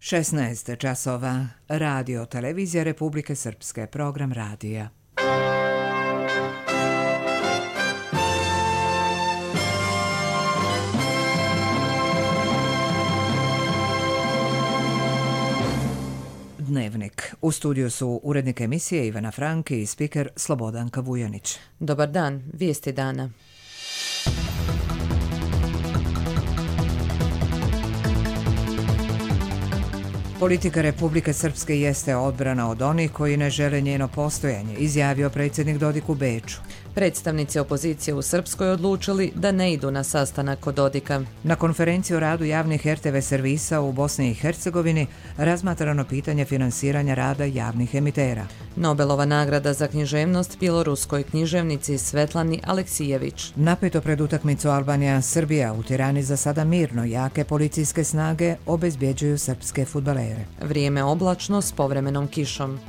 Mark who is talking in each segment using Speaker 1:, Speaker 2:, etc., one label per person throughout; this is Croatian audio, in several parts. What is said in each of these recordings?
Speaker 1: 16 časova. Radio Televizija Republike Srpske. Program radija. Dnevnik. U studiju su urednik emisije Ivana Franki i spiker Slobodanka Vujanić.
Speaker 2: Dobar dan, vijesti dana.
Speaker 1: Politika Republike Srpske jeste odbrana od onih koji ne žele njeno postojanje, izjavio predsjednik Dodik u Beču.
Speaker 2: Predstavnici opozicije u Srpskoj odlučili da ne idu na sastanak kod Dodika.
Speaker 1: Na konferenciji o radu javnih RTV servisa u Bosni i Hercegovini razmatrano pitanje finansiranja rada javnih emitera.
Speaker 2: Nobelova nagrada za književnost bjeloruskoj književnici Svetlani Aleksijević.
Speaker 1: Napeto pred utakmicu Albanija-Srbija u Tirani za sada mirno, jake policijske snage obezbjeđuju srpske fudbalere.
Speaker 2: Vrijeme oblačno s povremenom kišom.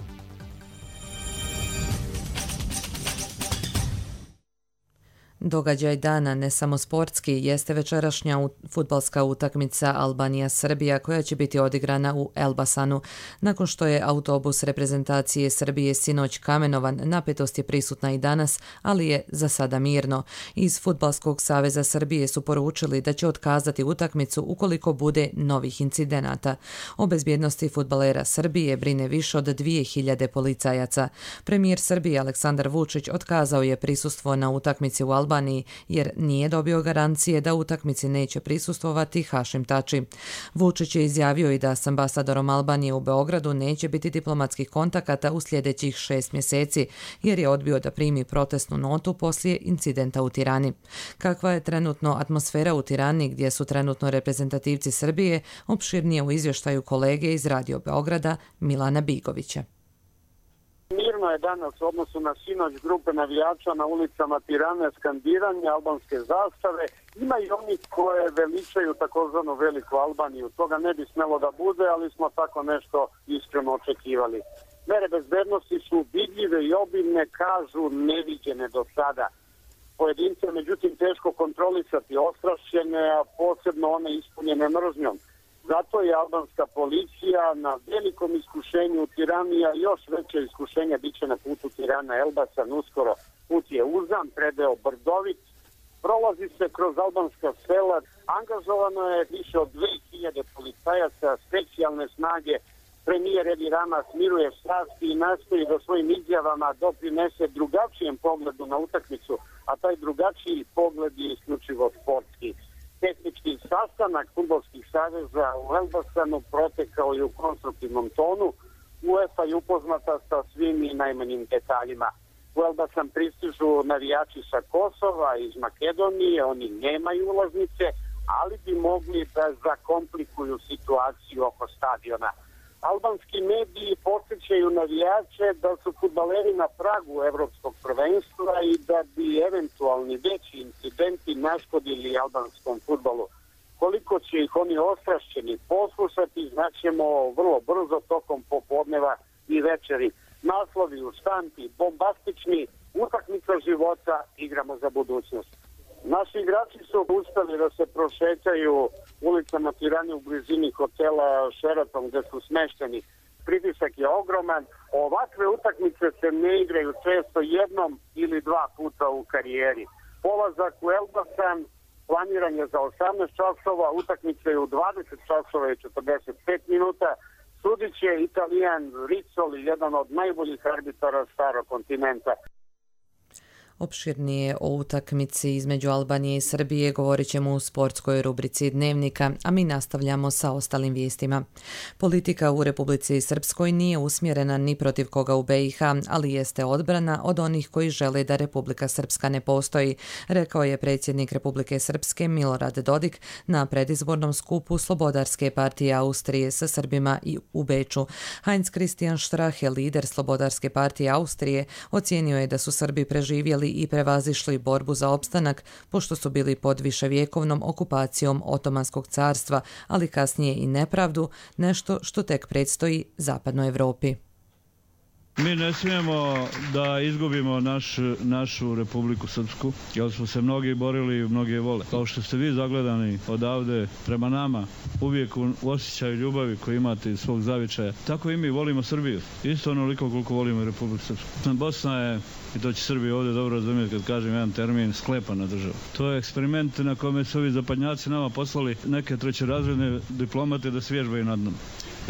Speaker 2: Događaj dana, ne samo sportski, jeste večerašnja fudbalska utakmica Albanija-Srbija koja će biti odigrana u Elbasanu. Nakon što je autobus reprezentacije Srbije sinoć kamenovan, napetost je prisutna i danas, ali je za sada mirno. Iz Fudbalskog saveza Srbije su poručili da će otkazati utakmicu ukoliko bude novih incidenata. O bezbjednosti fudbalera Srbije brine više od 2000 policajaca. Premijer Srbije Aleksandar Vučić otkazao je prisustvo na utakmici u Albaniji jer nije dobio garancije da utakmici neće prisustvovati Hašim Tači. Vučić je izjavio i da s ambasadorom Albanije u Beogradu neće biti diplomatskih kontakata u sljedećih 6 mjeseci jer je odbio da primi protestnu notu poslije incidenta u Tirani. Kakva je trenutno atmosfera u Tirani gdje su trenutno reprezentativci Srbije, opširnije u izvještaju kolege iz Radio Beograda Milana Bigovića.
Speaker 3: Mirno je danas u odnosu na sinoć grupe navijača na ulicama Tirane, skandiranje albanske zastave. Ima i oni koje veličaju takozvanu Veliku Albaniju. Toga ne bi smjelo da bude, ali smo tako nešto iskreno očekivali. Mere bezbednosti su vidljive i obilne, kažu neviđene do sada. Pojedince, međutim, teško kontrolisati, ostrašćene, a posebno one ispunjene mržnjom. Zato je albanska policija na velikom iskušenju u Tirani, a još veće iskušenja bit će na putu Tirana-Elbasan uskoro. Put je uzan, predeo Brdovit, prolazi se kroz albanska sela, angažovano je više od 2000 policajaca, specijalne snage. Premijer Edi Rama smiruje strasti i nastoji da svojim izjavama doprinese drugačijem pogledu na utakmicu, a taj drugačiji pogled je isključivo sportski. Tehnički sastanak fudbalskih saveza u Elbasanu protekao je u konstruktivnom tonu. UEFA je upoznata sa svim i najmanjim detaljima. U Elbasan pristižu navijači sa Kosova, iz Makedonije, oni nemaju ulaznice, ali bi mogli da zakomplikuju situaciju oko stadiona. Albanski mediji podsjećaju navijače da su fudbaleri na pragu evropskog prvenstva i da bi eventualni veći incidenti naškodili albanskom fudbalu. Koliko će ih oni ostrašćeni poslušati, znaćemo vrlo brzo tokom popodneva i večeri. Naslovi u štampi, bombastični, utakmica života, igramo za budućnost. Naši igrači su uspjeli da se prošetaju ulicama Tirane u blizini hotela Sheraton gdje su smešteni. Pritisak je ogroman. Ovakve utakmice se ne igraju često jednom ili dva puta u karijeri. Polazak u Elbasan planiran je za 18 časova, utakmica je u 20 časova i 45 minuta. Sudit će Italijan Rizzoli, jedan od najboljih arbitara starog kontinenta.
Speaker 2: Opširnije o utakmici između Albanije i Srbije govorit ćemo u sportskoj rubrici Dnevnika, a mi nastavljamo sa ostalim vijestima. Politika u Republici Srpskoj nije usmjerena ni protiv koga u BiH, ali jeste odbrana od onih koji žele da Republika Srpska ne postoji, rekao je predsjednik Republike Srpske Milorad Dodik na predizbornom skupu Slobodarske partije Austrije sa Srbima i u Beču. Heinz Christian Strache, lider Slobodarske partije Austrije, ocijenio je da su Srbi preživjeli i prevazišli borbu za opstanak, pošto su bili pod viševjekovnom okupacijom Otomanskog carstva, ali kasnije i nepravdu, nešto što tek predstoji zapadnoj Evropi.
Speaker 4: Mi ne smijemo da izgubimo našu Republiku Srpsku, jer smo se mnogi borili i mnogi je vole. Kao što ste vi zagledani odavde prema nama, uvijek u osjećaju ljubavi koju imate iz svog zavičaja, tako i mi volimo Srbiju. Isto onoliko koliko volimo Republiku Srpsku. Bosna je, i to će Srbija ovdje dobro razumjeti kad kažem jedan termin, sklepana država. To je eksperiment na kome su ovi zapadnjaci nama poslali neke trećerazredne diplomate da svježbaju nad nama.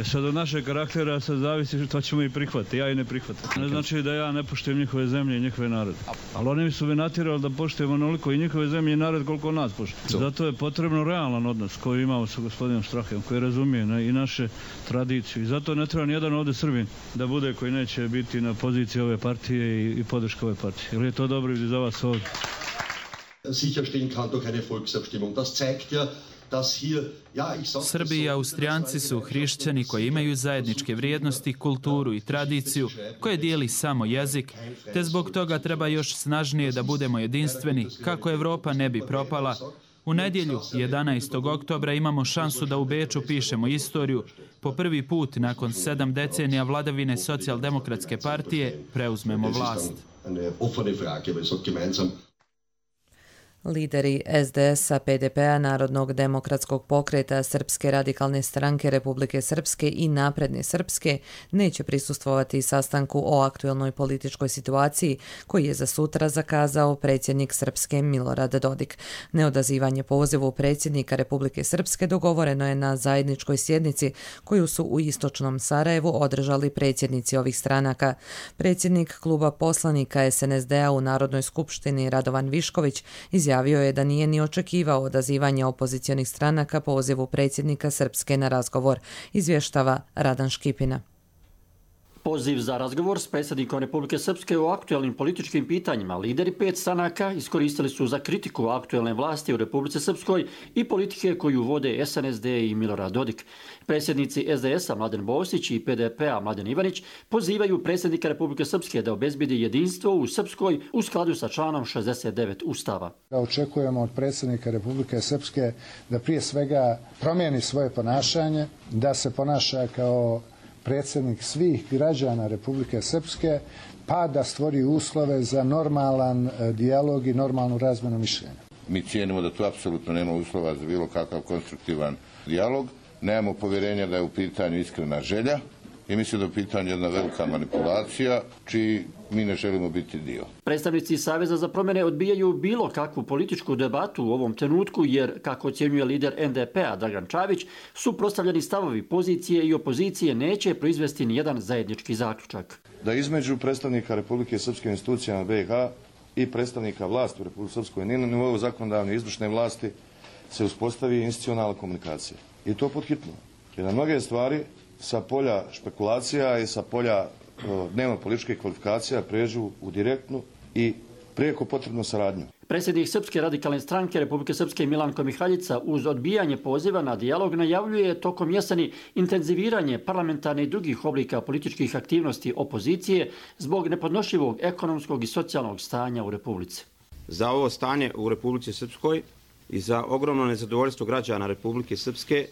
Speaker 4: Sad od našeg karaktera sad zavisi što ćemo i prihvatiti, ja i ne prihvatim. Ne znači da ja ne poštujem njihove zemlje i njihove narode. Ali oni su me natjerali da poštujemo onoliko i njihove zemlje i narod koliko nas poštuje. Zato je potrebno realan odnos koji imamo sa gospodinom Strahijem, koji razumije i naše tradiciju. I zato ne treba nijedan ovdje Srbin da bude koji neće biti na poziciji ove partije i podrške ove partije. Jer je to dobro i za vas ovdje.
Speaker 5: Sicherstellen kann durch eine Volksabstimmung. Das zeigt ja,
Speaker 6: Srbi i Austrijanci su hrišćani koji imaju zajedničke vrijednosti, kulturu i tradiciju koje dijeli samo jezik, te zbog toga treba još snažnije da budemo jedinstveni kako Evropa ne bi propala. U nedjelju, 11. oktobra, imamo šansu da u Beču pišemo istoriju. Po prvi put, nakon 7 decenija vladavine Socijaldemokratske partije, preuzmemo vlast.
Speaker 2: Lideri SDS-a, PDP-a, Narodnog demokratskog pokreta, Srpske radikalne stranke Republike Srpske i Napredne Srpske neće prisustvovati sastanku o aktuelnoj političkoj situaciji koji je za sutra zakazao predsjednik Srpske Milorad Dodik. Neodazivanje pozivu predsjednika Republike Srpske dogovoreno je na zajedničkoj sjednici koju su u istočnom Sarajevu održali predsjednici ovih stranaka. Predsjednik kluba poslanika SNSD-a u Narodnoj skupštini Radovan Višković izjavio je da nije ni očekivao odazivanje opozicionih stranaka pozivu predsjednika Srpske na razgovor, izvještava Radan Škipina.
Speaker 7: Poziv za razgovor s predsjednikom Republike Srpske o aktuelnim političkim pitanjima lideri 5 stranaka iskoristili su za kritiku aktuelne vlasti u Republici Srpskoj i politike koju vode SNSD i Milorad Dodik. Predsjednici SDS-a Mladen Bosić i PDP-a Mladen Ivanić pozivaju predsjednika Republike Srpske da obezbedi jedinstvo u Srpskoj u skladu sa članom 69 Ustava.
Speaker 8: Očekujemo od predsjednika Republike Srpske da prije svega promijeni svoje ponašanje, da se ponaša kao predsjednik svih građana Republike Srpske, pa da stvori uslove za normalan dijalog i normalnu razmjenu mišljenja.
Speaker 9: Mi cijenimo da tu apsolutno nema uslova za bilo kakav konstruktivan dijalog. Nemamo povjerenja da je u pitanju iskrena želja i mislim da je u pitanju jedna velika manipulacija čiji mi ne želimo biti dio.
Speaker 7: Predstavnici Saveza za promjene odbijaju bilo kakvu političku debatu u ovom trenutku jer, kako ocjenjuje lider NDP-a Dragan Čavić, suprotstavljeni stavovi pozicije i opozicije neće proizvesti nijedan zajednički zaključak.
Speaker 10: Da između predstavnika Republike Srpske institucijama BiH i predstavnika vlasti u Republike Srpskoj na nivou zakonodavne i izvršne vlasti se uspostavi institucionalna komunikacija. I to pod hitno. Jer na mnoge stvari sa polja špekulacija i sa polja dnevno političkih kvalifikacija pređu u direktnu i prijeko potrebnu saradnju.
Speaker 7: Predsjednik Srpske radikalne stranke Republike Srpske Milanko Mihaljica uz odbijanje poziva na dijalog najavljuje tokom jeseni intenziviranje parlamentarne i drugih oblika političkih aktivnosti opozicije zbog nepodnošljivog ekonomskog i socijalnog stanja u Republici.
Speaker 11: Za ovo stanje u Republici Srpskoj i za ogromno nezadovoljstvo građana Republike Srpske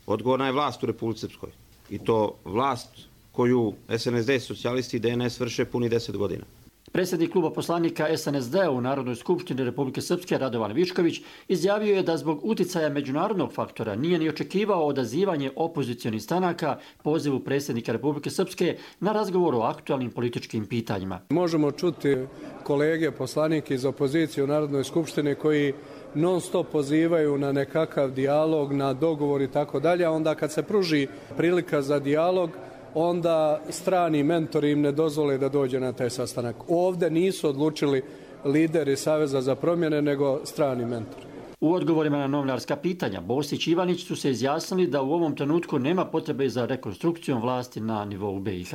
Speaker 11: odgovorna je vlast u Republici Srpskoj. I to vlast koju SNSD, socijalisti i DNS vrše puni 10 godina.
Speaker 7: Predsjednik kluba poslanika SNSD u Narodnoj skupštini Republike Srpske Radovan Višković izjavio je da zbog uticaja međunarodnog faktora nije ni očekivao odazivanje opozicionih stranaka pozivu predsjednika Republike Srpske na razgovor o aktualnim političkim pitanjima.
Speaker 12: Možemo čuti kolege poslanike iz opozicije u Narodnoj skupštini koji non stop pozivaju na nekakav dijalog, na dogovor i tako dalje, a onda kad se pruži prilika za dijalog, onda strani mentori im ne dozvole da dođe na taj sastanak. Ovdje nisu odlučili lideri Saveza za promjene, nego strani mentori.
Speaker 7: U odgovorima na novinarska pitanja, Bosić i Ivanić su se izjasnili da u ovom trenutku nema potrebe za rekonstrukcijom vlasti na nivou BiH.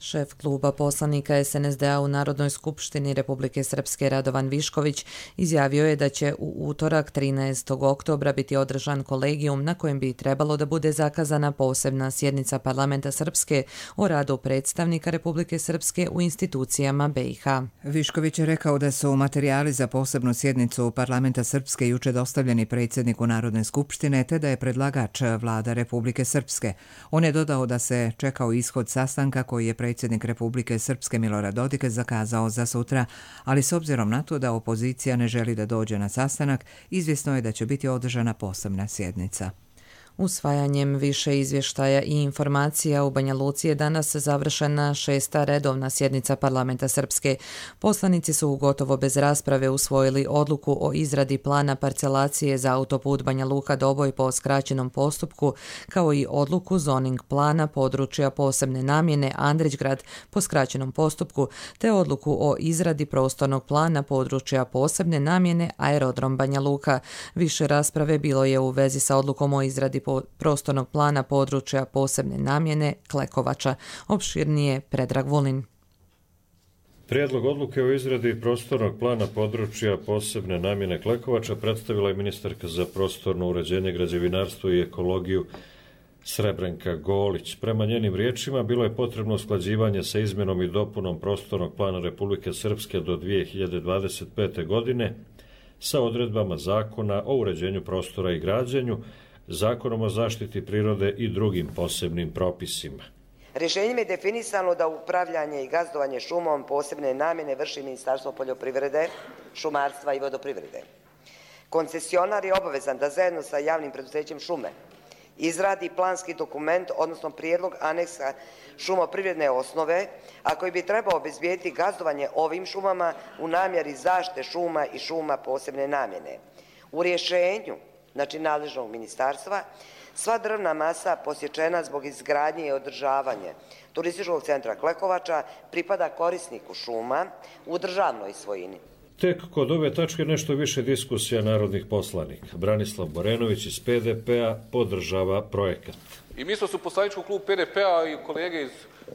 Speaker 2: Šef kluba poslanika SNSD-a u Narodnoj skupštini Republike Srpske Radovan Višković izjavio je da će u utorak 13. oktobra biti održan kolegijum na kojem bi trebalo da bude zakazana posebna sjednica parlamenta Srpske o radu predstavnika Republike Srpske u institucijama BiH.
Speaker 1: Višković je rekao da su materijali za posebnu sjednicu parlamenta Srpske juče dostavljeni predsjedniku Narodne skupštine te da je predlagač vlada Republike Srpske. On je dodao da se čekao ishod sastanka koji je predsjednik predsjednik Republike Srpske Milorad Dodik zakazao za sutra, ali s obzirom na to da opozicija ne želi da dođe na sastanak, izvjesno je da će biti održana posebna sjednica.
Speaker 2: Usvajanjem više izvještaja i informacija u Banja Luci je danas završena 6. redovna sjednica parlamenta Srpske. Poslanici su gotovo bez rasprave usvojili odluku o izradi plana parcelacije za autoput Banja Luka-Doboj po skraćenom postupku, kao i odluku zoning plana područja posebne namjene Andrićgrad po skraćenom postupku, te odluku o izradi prostornog plana područja posebne namjene Aerodrom Banja Luka. Više rasprave bilo je u vezi sa odlukom o izradi prostornog plana područja posebne namjene Klekovača. Opširnije Predrag Vulin.
Speaker 13: Prijedlog odluke o izradi prostornog plana područja posebne namjene Klekovača predstavila je ministarka za prostorno uređenje, građevinarstvo i ekologiju Srebrenka Golić. Prema njenim riječima bilo je potrebno usklađivanje sa izmjenom i dopunom prostornog plana Republike Srpske do 2025. godine sa odredbama Zakona o uređenju prostora i građenju, Zakonom o zaštiti prirode i drugim posebnim propisima.
Speaker 14: Rješenjem je definisano da upravljanje i gazdovanje šumom posebne namjene vrši Ministarstvo poljoprivrede, šumarstva i vodoprivrede. Koncesionar je obavezan da zajedno sa javnim preduzećem šume izradi planski dokument, odnosno prijedlog aneksa šumoprivredne osnove, a koji bi trebao obezbijediti gazdovanje ovim šumama u namjeri zaštite šuma i šuma posebne namjene. U rješenju, znači nadležnog ministarstva, sva drvna masa posječena zbog izgradnje i održavanja turističkog centra Klekovača pripada korisniku šuma u državnoj svojini.
Speaker 13: Tek kod ove tačke nešto više diskusija narodnih poslanika. Branislav Borenović iz PDP-a podržava projekat.
Speaker 15: I mi smo se u poslaničkom klubu PDP-a i kolege iz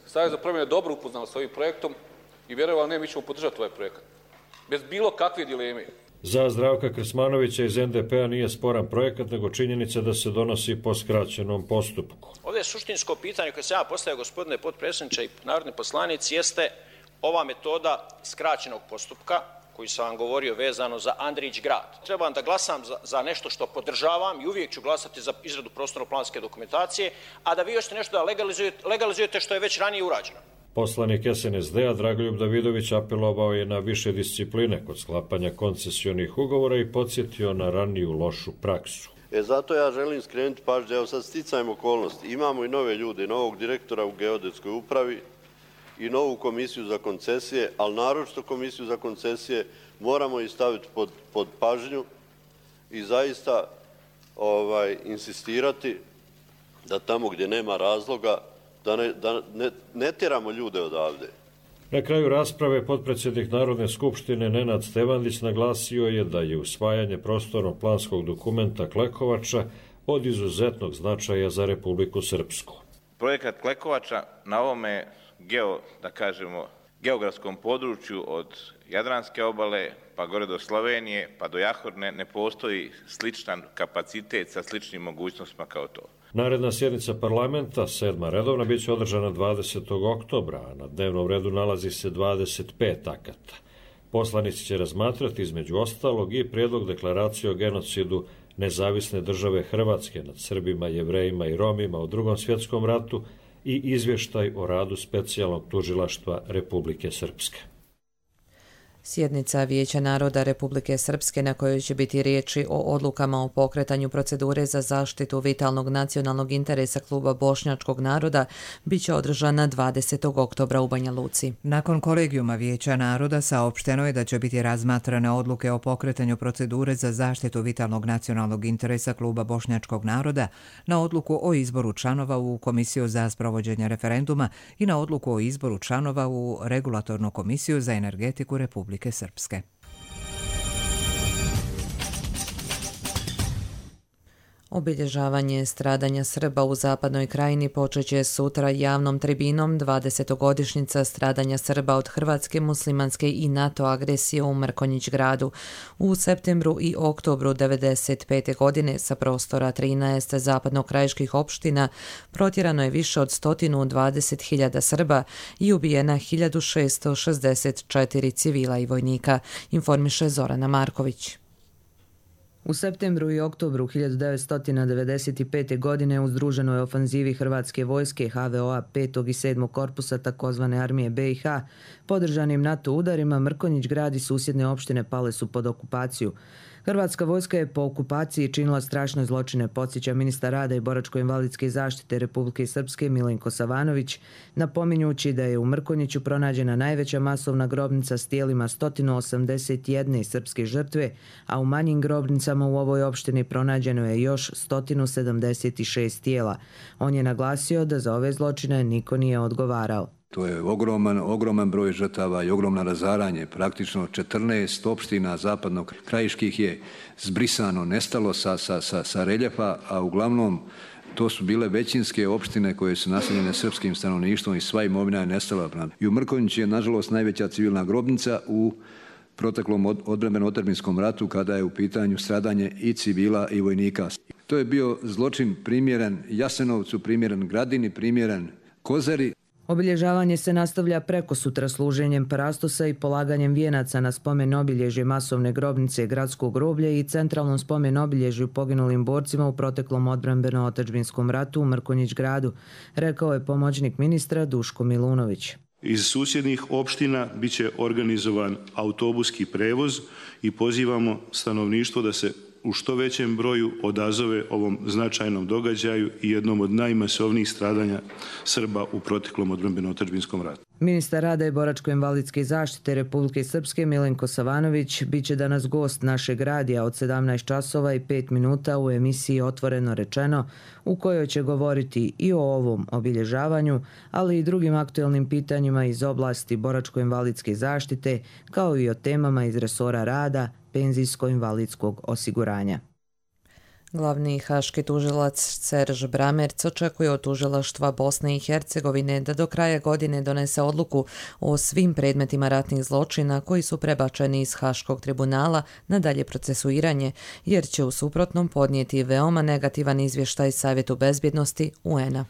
Speaker 15: Saveza za promjene dobro upoznali s ovim projektom i vjerovali ne, mi ćemo podržati ovaj projekat. Bez bilo kakve dileme.
Speaker 13: Za Zdravka Krsmanovića iz NDP-a nije sporan projekat, nego činjenica da se donosi po skraćenom postupku.
Speaker 16: Ovdje je suštinsko pitanje koje se ja postavio, gospodine potpredsjedniče i narodni poslanici, jeste ova metoda skraćenog postupka, koji sam vam govorio vezano za Andrićgrad. Trebam da glasam za nešto što podržavam i uvijek ću glasati za izradu prostorno-planske dokumentacije, a da vi još nešto da legalizujete što je već ranije urađeno.
Speaker 13: Poslanik SNSD-a Dragoljub Davidović apelovao je na više discipline kod sklapanja koncesionih ugovora i podsjetio na raniju lošu praksu.
Speaker 17: Zato ja želim skrenuti pažnju, evo sad sticajem okolnosti. Imamo i nove ljude, novog direktora u geodetskoj upravi i novu komisiju za koncesije, ali naročito komisiju za koncesije moramo i staviti pod pažnju i zaista insistirati da tamo gdje nema razloga da ne tjeramo ljude odavde.
Speaker 13: Na kraju rasprave potpredsjednik Narodne skupštine Nenad Stevandić naglasio je da je usvajanje prostorno-planskog dokumenta Klekovača od izuzetnog značaja za Republiku Srpsku.
Speaker 18: Projekat Klekovača na ovome geografskom području od Jadranske obale pa gore do Slovenije pa do Jahorne ne postoji sličan kapacitet sa sličnim mogućnostima kao to.
Speaker 13: Naredna sjednica parlamenta, 7. redovna, bit će održana 20. oktobra, a na dnevnom redu nalazi se 25 akata. Poslanici će razmatrati između ostalog i prijedlog deklaracije o genocidu Nezavisne države Hrvatske nad Srbima, Jevrejima i Romima u Drugom svjetskom ratu i izvještaj o radu specijalnog tužilaštva Republike Srpske.
Speaker 2: Sjednica Vijeća naroda Republike Srpske na kojoj će biti riječi o odlukama o pokretanju procedure za zaštitu vitalnog nacionalnog interesa kluba bošnjačkog naroda bit će održana 20. oktobra u Banja Luci.
Speaker 1: Nakon kolegijuma Vijeća naroda saopšteno je da će biti razmatrane odluke o pokretanju procedure za zaštitu vitalnog nacionalnog interesa kluba bošnjačkog naroda, na odluku o izboru članova u Komisiju za sprovođenje referenduma i na odluku o izboru članova u Regulatornu komisiju za energetiku Republike Srpske.
Speaker 2: Obilježavanje stradanja Srba u zapadnoj krajini počeće sutra javnom tribinom 20-godišnjica stradanja Srba od hrvatske, muslimanske i NATO agresije u Mrkonjić gradu. U septembru i oktobru 1995. godine sa prostora 13 zapadnokrajiških opština protjerano je više od 120.000 Srba i ubijena 1664 civila i vojnika, informiše Zorana Marković. U septembru i oktobru 1995. godine u združenoj ofanzivi Hrvatske vojske HVO-a 5. i 7. korpusa takozvane armije BiH, podržanim NATO udarima, Mrkonjić grad i susjedne opštine pale su pod okupaciju. Hrvatska vojska je po okupaciji činila strašne zločine, podsjeća ministar rada i boračko-invalidske zaštite Republike Srpske Milenko Savanović, napominjući da je u Mrkonjiću pronađena najveća masovna grobnica s tijelima 181 srpske žrtve, a u manjim grobnicama u ovoj opštini pronađeno je još 176 tijela. On je naglasio da za ove zločine niko nije odgovarao.
Speaker 19: To je ogroman broj žrtava i ogromno razaranje. Praktično 14 opština zapadnog krajiških je zbrisano, nestalo sa reljefa, a uglavnom to su bile većinske opštine koje su naseljene srpskim stanovništvom i sva imovina je nestala. I u Mrkonjiću je, nažalost, najveća civilna grobnica u proteklom odbrambeno-otadžbinskom ratu kada je u pitanju stradanje i civila i vojnika. To je bio zločin primjeren Jasenovcu, primjeren Gradini, primjeren Kozari.
Speaker 2: Obilježavanje se nastavlja prekosutra služenjem parastosa i polaganjem vijenaca na spomen obilježje masovne grobnice Gradskog groblja i centralnom spomen obilježju poginulim borcima u proteklom odbrambeno-otadžbinskom ratu u Mrkonjić gradu, rekao je pomoćnik ministra Duško Milunović.
Speaker 20: Iz susjednih opština biće organizovan autobuski prevoz i pozivamo stanovništvo da se u što većem broju odazove ovom značajnom događaju i jednom od najmasovnijih stradanja Srba u proteklom odbrambeno-otadžbinskom ratu.
Speaker 2: Ministar rada i boračko-invalidske zaštite Republike Srpske Milenko Savanović biće danas gost našeg radija od 17 časova i 5 minuta u emisiji Otvoreno rečeno, u kojoj će govoriti i o ovom obilježavanju, ali i drugim aktuelnim pitanjima iz oblasti boračko-invalidske zaštite, kao i o temama iz resora rada, penzijsko-invalidskog osiguranja. Glavni haški tužilac Serž Bramerc očekuje od tužilaštva Bosne i Hercegovine da do kraja godine donese odluku o svim predmetima ratnih zločina koji su prebačeni iz Haškog tribunala na dalje procesuiranje, jer će u suprotnom podnijeti veoma negativan izvještaj Savjetu bezbjednosti UN-a.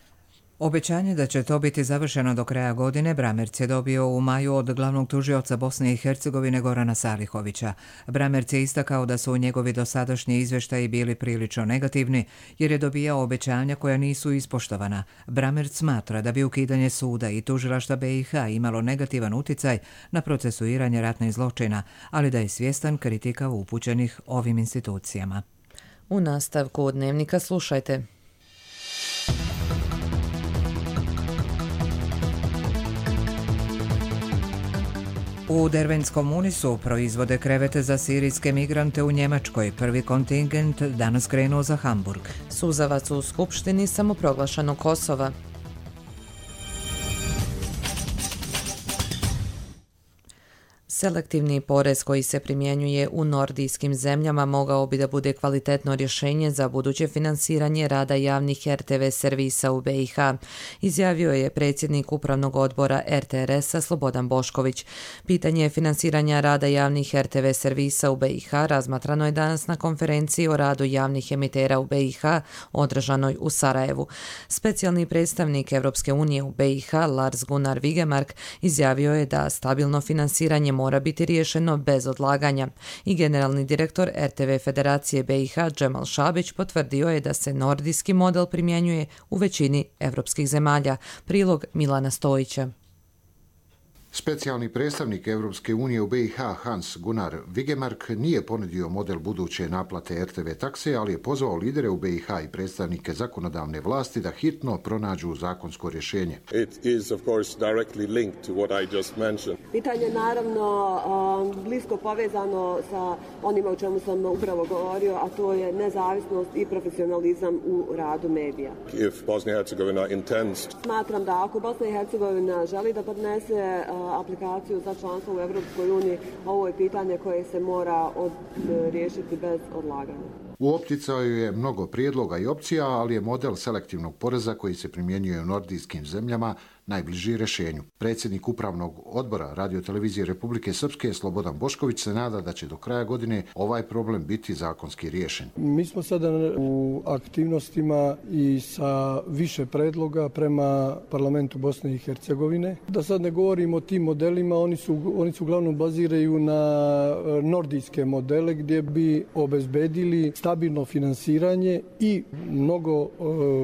Speaker 1: Obećanje da će to biti završeno do kraja godine Bramerc je dobio u maju od glavnog tužioca Bosne i Hercegovine Gorana Salihovića. Bramerc je istakao da su njegovi dosadašnji izvještaji bili prilično negativni jer je dobijao obećanja koja nisu ispoštovana. Bramerc smatra da bi ukidanje suda i tužilaštva BiH imalo negativan uticaj na procesuiranje ratnih zločina, ali da je svjestan kritika upućenih ovim institucijama.
Speaker 2: U nastavku Dnevnika slušajte.
Speaker 1: U Dervenskom Unisu proizvode krevete za sirijske migrante u Njemačkoj. Prvi kontingent danas krenuo za Hamburg.
Speaker 2: Suzavac u Skupštini samoproglašenog Kosova. Selektivni porez koji se primjenjuje u nordijskim zemljama mogao bi da bude kvalitetno rješenje za buduće finansiranje rada javnih RTV servisa u BiH, izjavio je predsjednik upravnog odbora RTRS-a Slobodan Bošković. Pitanje finansiranja rada javnih RTV servisa u BiH razmatrano je danas na konferenciji o radu javnih emitera u BiH održanoj u Sarajevu. Specijalni predstavnik Evropske unije u BiH Lars Gunnar Vigemark izjavio je da stabilno finansiranje mora biti riješeno bez odlaganja i generalni direktor RTV Federacije BiH Džemal Šabić potvrdio je da se nordijski model primjenjuje u većini evropskih zemalja. Prilog Milana Stojića.
Speaker 21: Specijalni predstavnik Evropske unije u BiH Hans Gunnar Vigemark nije ponudio model buduće naplate RTV takse, ali je pozvao lidere u BiH i predstavnike zakonodavne vlasti da hitno pronađu zakonsko rješenje.
Speaker 22: Pitanje je naravno blisko povezano sa onima o čemu sam upravo govorio, a to je nezavisnost i profesionalizam u radu medija. Smatram da ako Bosna i Hercegovina želi da podnese aplikaciju za članstvo u Evropskoj uniji, ovo je pitanje koje se mora riješiti bez odlaganja.
Speaker 21: U opticaju je mnogo prijedloga i opcija, ali je model selektivnog poreza koji se primjenjuje u nordijskim zemljama najbliži rješenju. Predsjednik upravnog odbora radiotelevizije Republike Srpske Slobodan Bošković se nada da će do kraja godine ovaj problem biti zakonski riješen.
Speaker 12: Mi smo sada u aktivnostima i sa više predloga prema parlamentu Bosne i Hercegovine. Da sad ne govorimo o tim modelima, oni su uglavnom baziraju na nordijske modele gdje bi obezbedili stabilno finansiranje i mnogo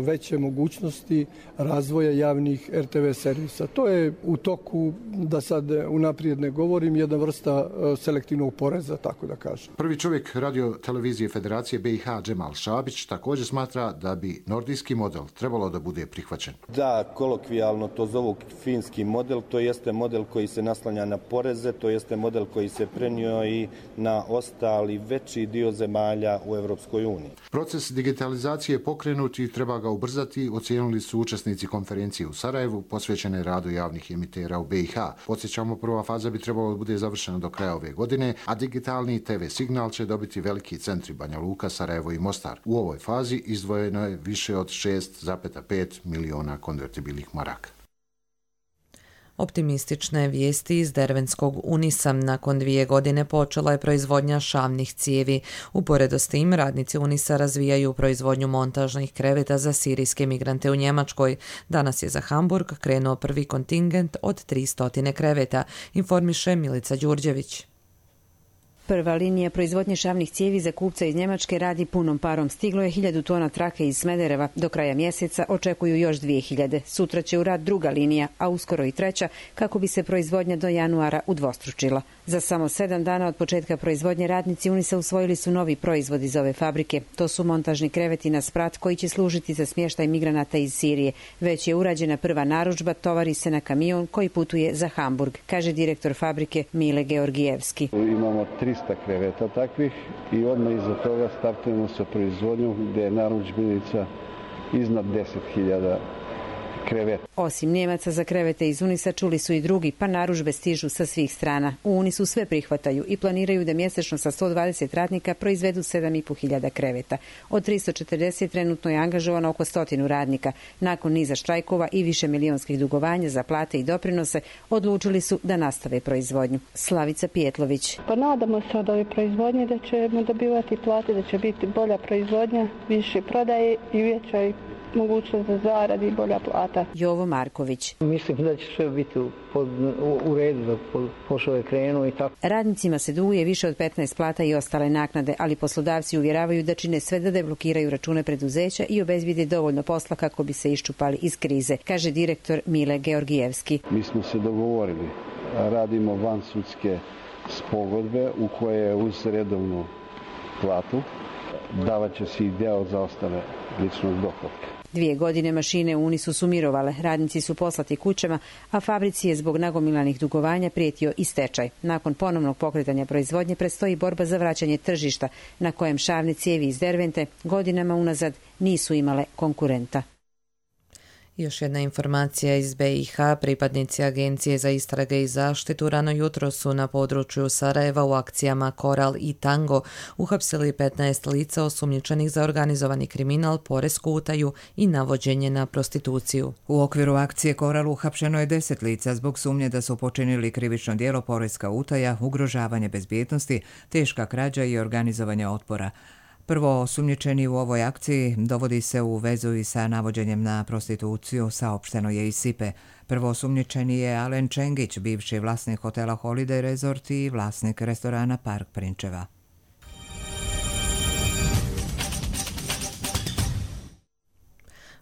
Speaker 12: veće mogućnosti razvoja javnih RTV servisa. To je u toku, da sad unaprijed ne govorim, jedna vrsta selektivnog poreza, tako da kažem.
Speaker 21: Prvi čovjek radiotelevizije Federacije BiH Džemal Šabić također smatra da bi nordijski model trebalo da bude prihvaćen.
Speaker 3: Da, kolokvijalno to zovu finski model, to jeste model koji se naslanja na poreze, to jeste model koji se prenio i na ostali veći dio zemalja u Europskoj uniji.
Speaker 21: Proces digitalizacije je pokrenut i treba ga ubrzati, ocijenili su učesnici konferencije u Sarajevu posvećene radu javnih emitera u BiH. Podsjećamo, prva faza bi trebalo da bude završena do kraja ove godine, a digitalni TV signal će dobiti veliki centri Banja Luka, Sarajevo i Mostar. U ovoj fazi izdvojeno je više od 6,5 miliona konvertibilnih maraka.
Speaker 2: Optimistične vijesti iz dervenskog Unisa. Nakon 2 godine počela je proizvodnja šavnih cijevi. Uporedo s tim, radnici Unisa razvijaju proizvodnju montažnih kreveta za sirijske migrante u Njemačkoj. Danas je za Hamburg krenuo prvi kontingent od 300 kreveta, informiše Milica Đurđević.
Speaker 4: Prva linija proizvodnje šavnih cijevi za kupca iz Njemačke radi punom parom. Stiglo je 1000 tona trake iz Smedereva. Do kraja mjeseca očekuju još 2000. Sutra će u rad druga linija, a uskoro i treća, kako bi se proizvodnja do januara udvostručila. Za samo 7 dana od početka proizvodnje radnici Unisa usvojili su novi proizvod iz ove fabrike. To su montažni kreveti na sprat koji će služiti za smještaj migranata iz Sirije. Već je urađena prva narudžba, tovari se na kamion koji putuje za Hamburg, kaže direktor fabrike Mile Georgijevski.
Speaker 23: Imamo 300 kreveta takvih i odmah iza toga startujemo sa proizvodnjom gdje je narudžbenica iznad 10.000 kreveta.
Speaker 4: Osim Njemaca za krevete iz Unisa čuli su i drugi, pa narudžbe stižu sa svih strana. U Unisu sve prihvataju i planiraju da mjesečno sa 120 radnika proizvedu 7.500 kreveta. Od 340 trenutno je angažovano oko 100 radnika. Nakon niza štrajkova i više milionskih dugovanja za plate i doprinose, odlučili su da nastave proizvodnju. Slavica Pijetlović.
Speaker 24: Pa nadamo se od ove proizvodnje da ćemo dobivati plate, da će biti bolja proizvodnja, više prodaje i veća mogućnost za zaradi i bolja plata.
Speaker 4: Jovo Marković.
Speaker 25: Mislim da će sve biti u redu, da poslove krenu i tako.
Speaker 4: Radnicima se duguje više od 15 plata i ostale naknade, ali poslodavci uvjeravaju da čine sve da deblokiraju račune preduzeća i obezbijede dovoljno posla kako bi se iščupali iz krize, kaže direktor Mile Georgijevski.
Speaker 23: Mi smo se dogovorili, radimo vansudske pogodbe u koje uz redovnu platu davat će se i deo za ostale ličnog dohotka.
Speaker 4: 2 godine mašine u Unisu su mirovale, radnici su poslati kućama, a fabrici je zbog nagomilanih dugovanja prijetio i stečaj. Nakon ponovnog pokretanja proizvodnje predstoji borba za vraćanje tržišta, na kojem šavne cijevi iz Dervente godinama unazad nisu imale konkurenta.
Speaker 2: Još jedna informacija iz BiH. Pripadnici Agencije za istrage i zaštitu rano jutro su na području Sarajeva u akcijama Koral i Tango uhapsili 15 lica osumnjičenih za organizovani kriminal, poresku utaju i navođenje na prostituciju.
Speaker 1: U okviru akcije Koral uhapšeno je 10 lica zbog sumnje da su počinili krivično djelo poreska utaja, ugrožavanje bezbjednosti, teška krađa i organizovanje otpora. Prvo osumnjičeni u ovoj akciji dovodi se u vezu i sa navođenjem na prostituciju, saopšteno je iz SIPE. Prvo osumnjičeni je Alen Čengić, bivši vlasnik hotela Holiday Resort i vlasnik restorana Park Prinčeva.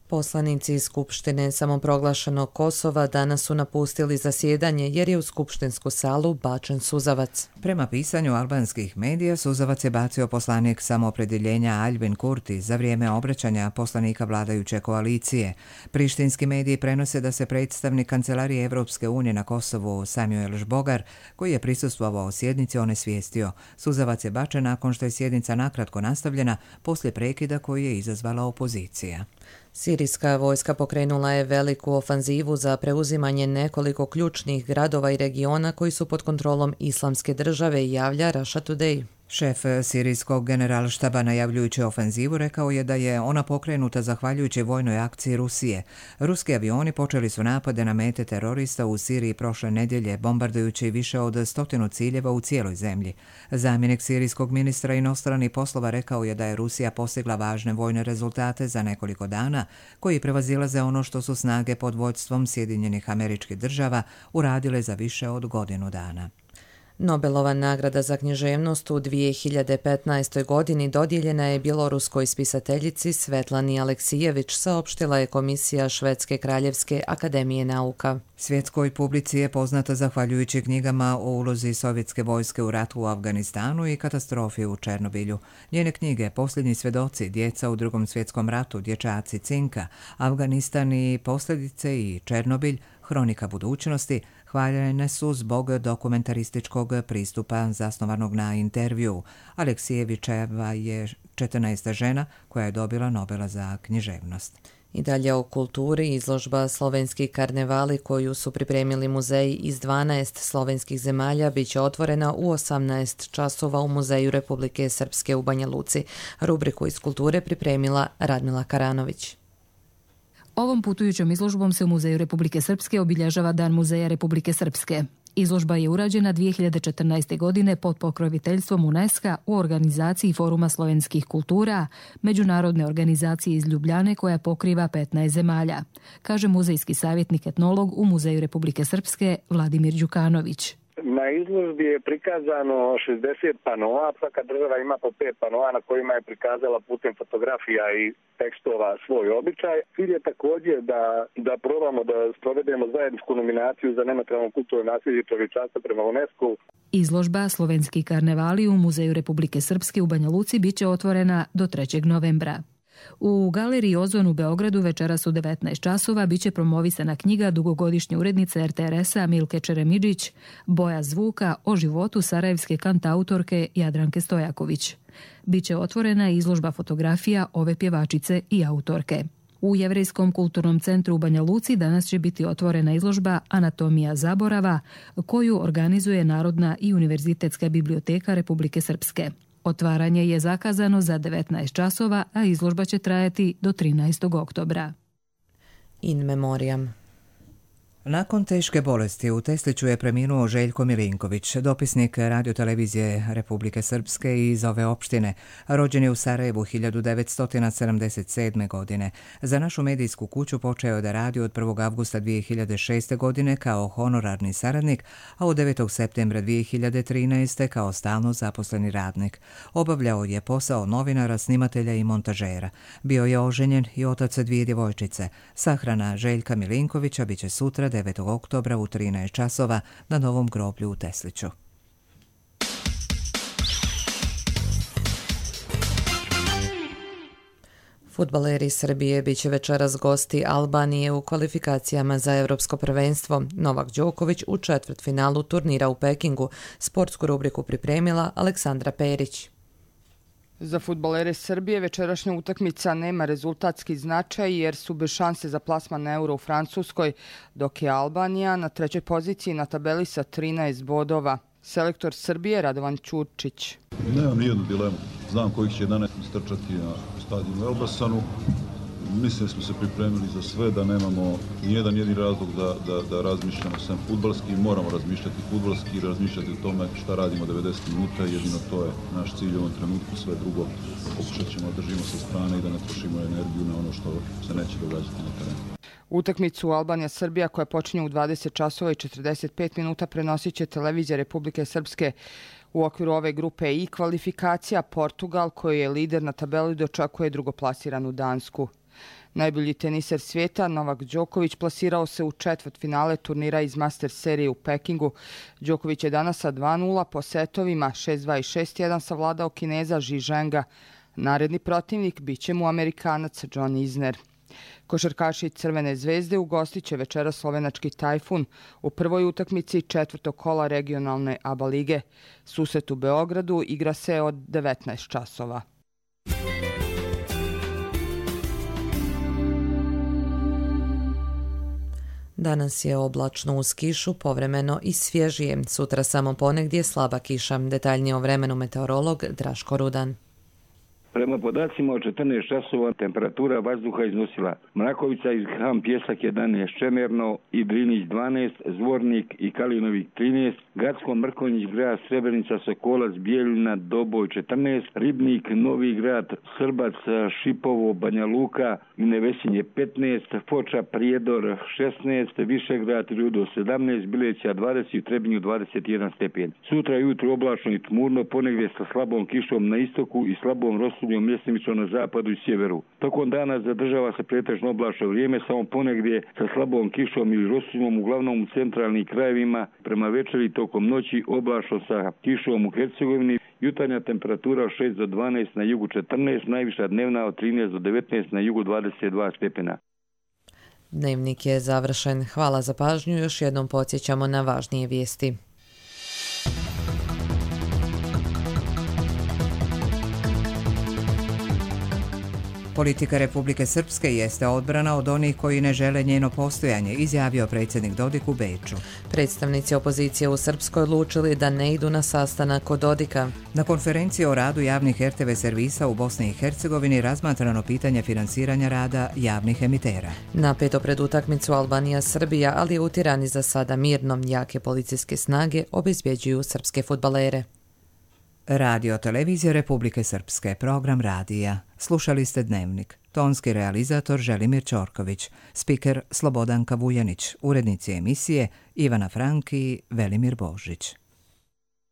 Speaker 2: Poslanici iz Skupštine samoproglašenog Kosova danas su napustili zasjedanje jer je u skupštinsku salu bačen suzavac.
Speaker 1: Prema pisanju albanskih medija, suzavac je bacio poslanik samoopredjeljenja Aljbin Kurti za vrijeme obraćanja poslanika vladajuće koalicije. Prištinski mediji prenose da se predstavnik Kancelarije Evropske unije na Kosovu Samuel Žbogar, koji je prisustvovao sjednici, onesvijestio. Suzavac je bačen nakon što je sjednica nakratko nastavljena poslije prekida koji je izazvala opozicija.
Speaker 2: Sirijska vojska pokrenula je veliku ofanzivu za preuzimanje nekoliko ključnih gradova i regiona koji su pod kontrolom Islamske države, javlja Russia Today.
Speaker 1: Šef sirijskog generalštaba najavljujući ofenzivu rekao je da je ona pokrenuta zahvaljujući vojnoj akciji Rusije. Ruski avioni počeli su napade na mete terorista u Siriji prošle nedjelje, bombardujući više od 100 ciljeva u cijeloj zemlji. Zamjenik sirijskog ministra inostranih poslova rekao je da je Rusija postigla važne vojne rezultate za nekoliko dana, koji prevazilaze ono što su snage pod vodstvom Sjedinjenih Američkih Država uradile za više od godinu dana.
Speaker 2: Nobelova nagrada za književnost u 2015. godini dodijeljena je bjeloruskoj spisateljici Svetlani Aleksijević, saopštila je Komisija Švedske kraljevske akademije nauka.
Speaker 1: Svjetskoj publici je poznata zahvaljujući knjigama o ulozi sovjetske vojske u ratu u Afganistanu i katastrofi u Černobilju. Njene knjige Posljednji svjedoci, Djeca u Drugom svjetskom ratu, Dječaci Cinka, Afganistan i posljedice i Černobilj, Hronika budućnosti, hvaljene su zbog dokumentarističkog pristupa zasnovanog na intervju. Aleksijevićeva je 14. žena koja je dobila Nobela za književnost.
Speaker 2: I dalje o kulturi, izložba Slovenski karnevali koju su pripremili muzeji iz 12 slovenskih zemalja bit će otvorena u 18 časova u Muzeju Republike Srpske u Banja Luci. Rubriku iz kulture pripremila Radmila Karanović.
Speaker 5: Ovom putujućom izložbom se u Muzeju Republike Srpske obilježava Dan Muzeja Republike Srpske. Izložba je urađena 2014. godine pod pokroviteljstvom UNESCO u organizaciji Foruma slovenskih kultura, međunarodne organizacije iz Ljubljane koja pokriva 15 zemalja, kaže muzejski savjetnik etnolog u Muzeju Republike Srpske Vladimir Đukanović.
Speaker 6: Na izložbi je prikazano 60 panoa, svaka država ima po 5 panoa na kojima je prikazala putem fotografija i tekstova svoj običaj. Cilj je također da probamo da sprovedemo zajedničku nominaciju za nematerijalno kulturno nasljeđe i čovječanstvo prema UNESCO.
Speaker 5: Izložba Slovenski karnevali u Muzeju Republike Srpske u Banja Luci biće otvorena do 3. novembra. U galeriji Ozon u Beogradu večeras u 19 časova biće promovisana knjiga dugogodišnje urednice RTRS-a Milke Čeremidžić Boja zvuka o životu sarajevske kantautorke Jadranke Stojaković. Biće otvorena izložba fotografija ove pjevačice i autorke. U Jevrejskom kulturnom centru u Banja Luci danas će biti otvorena izložba Anatomija zaborava koju organizuje Narodna i Univerzitetska biblioteka Republike Srpske. Otvaranje je zakazano za 19 časova, a izložba će trajati do 13. oktobra.
Speaker 2: In memoriam.
Speaker 1: Nakon teške bolesti u Tesliću je preminuo Željko Milinković, dopisnik radiotelevizije Republike Srpske iz ove opštine. Rođen je u Sarajevu 1977. godine. Za našu medijsku kuću počeo je da radi od 1. avgusta 2006. godine kao honorarni saradnik, a od 9. septembra 2013. kao stalno zaposleni radnik. Obavljao je posao novinara, snimatelja i montažera. Bio je oženjen i otac 2 djevojčice. Sahrana Željka Milinkovića biće sutra 9. oktobra u 13 časova na Novom groblju u Tesliću.
Speaker 2: Fudbaleri Srbije biće večeras gosti Albanije u kvalifikacijama za Evropsko prvenstvo. Novak Đoković u četvrtfinalu turnira u Pekingu. Sportsku rubriku pripremila Aleksandra Perić.
Speaker 8: Za fudbalere Srbije večerašnja utakmica nema rezultatski značaj jer su bez šanse za plasman na Euro u Francuskoj, dok je Albanija na 3. poziciji na tabeli sa 13 bodova. Selektor Srbije Radovan Ćurčić.
Speaker 9: Nemam nijednu dilemu. Znam kojih će 11 strčati na stadionu Elbasanu. Mislim smo se pripremili za sve, da nemamo nijedan jedini razlog da razmišljamo sam fudbalski. Moramo razmišljati fudbalski i razmišljati o tome šta radimo 90 minuta. Jedino to je naš cilj u ovom trenutku. Sve drugo pokušat ćemo da držimo sa strane i da ne trošimo energiju na ono što se neće događati na terenu.
Speaker 8: Utakmicu Albanija-Srbija koja počinje u 20 časova i 45 minuta prenosit će televizija Republike Srpske. U okviru ove grupe i kvalifikacija Portugal, koji je lider na tabeli, dočekuje drugoplasiranu Dansku. Najbolji teniser svijeta Novak Đoković plasirao se u četvrtfinale turnira iz Masters serije u Pekingu. Đoković je danas sa 2-0 po setovima 6-2 i 6-1 savladao Kineza Zhi Zhenga. Naredni protivnik bit će mu Amerikanac John Isner. Košarkaši Crvene zvezde ugostit će večera slovenački Tajfun u prvoj utakmici 4. kola regionalne ABA lige. Susret u Beogradu igra se od 19 časova.
Speaker 2: Danas je oblačno uz kišu, povremeno i svježije. Sutra samo ponegdje slaba kiša. Detaljnije o vremenu meteorolog Draško Rudan.
Speaker 7: Prema podacima od 14 časova temperatura vazduha iznosila Mrakovica iz Ham Pjesak 11, Čemerno i Drinić 12, Zvornik i Kalinovik 13, Gacko, Mrkonjić, Grad, Srebrenica, Sokolac, Bijeljina, Doboj 14, Ribnik, Novi Grad, Srbac, Šipovo, Banja Luka i Nevesinje 15, Foča, Prijedor 16, Višegrad, Rudo 17, Bileća 20 i Trebinju 21 stepen. Sutra jutro oblačno i tmurno, ponegdje sa slabom kišom na istoku i slabom rosudnjom mjestimično na zapadu i sjeveru. Tokom dana zadržava se pretežno oblačno vrijeme, samo ponegdje sa slabom kišom ili rosudnjom, uglavnom u centralnim krajevima. Prema večeri tokom noći oblačno sa kišom u Hercegovini. Jutarnja temperatura od 6 do 12, na jugu 14, najviša dnevna od 13 do 19, na jugu 22 stepena.
Speaker 2: Dnevnik je završen. Hvala za pažnju. Još jednom podsjećamo na važnije vijesti.
Speaker 1: Politika Republike Srpske jeste odbrana od onih koji ne žele njeno postojanje, izjavio predsjednik Dodik u Beču.
Speaker 2: Predstavnici opozicije u Srpskoj odlučili da ne idu na sastanak kod Dodika.
Speaker 1: Na konferenciji o radu javnih RTV servisa u Bosni i Hercegovini razmatrano pitanje finansiranja rada javnih emitera.
Speaker 2: Napeto pred utakmicu Albanija-Srbija, ali je u Tirani za sada mirno. Jake policijske snage obezbjeđuju srpske fudbalere.
Speaker 1: Radio televizija Republike Srpske, program radija. Slušali ste Dnevnik. Tonski realizator Želimir Ćorković, spiker Slobodanka Vujanić, urednici emisije Ivana Franki i Velimir Božić.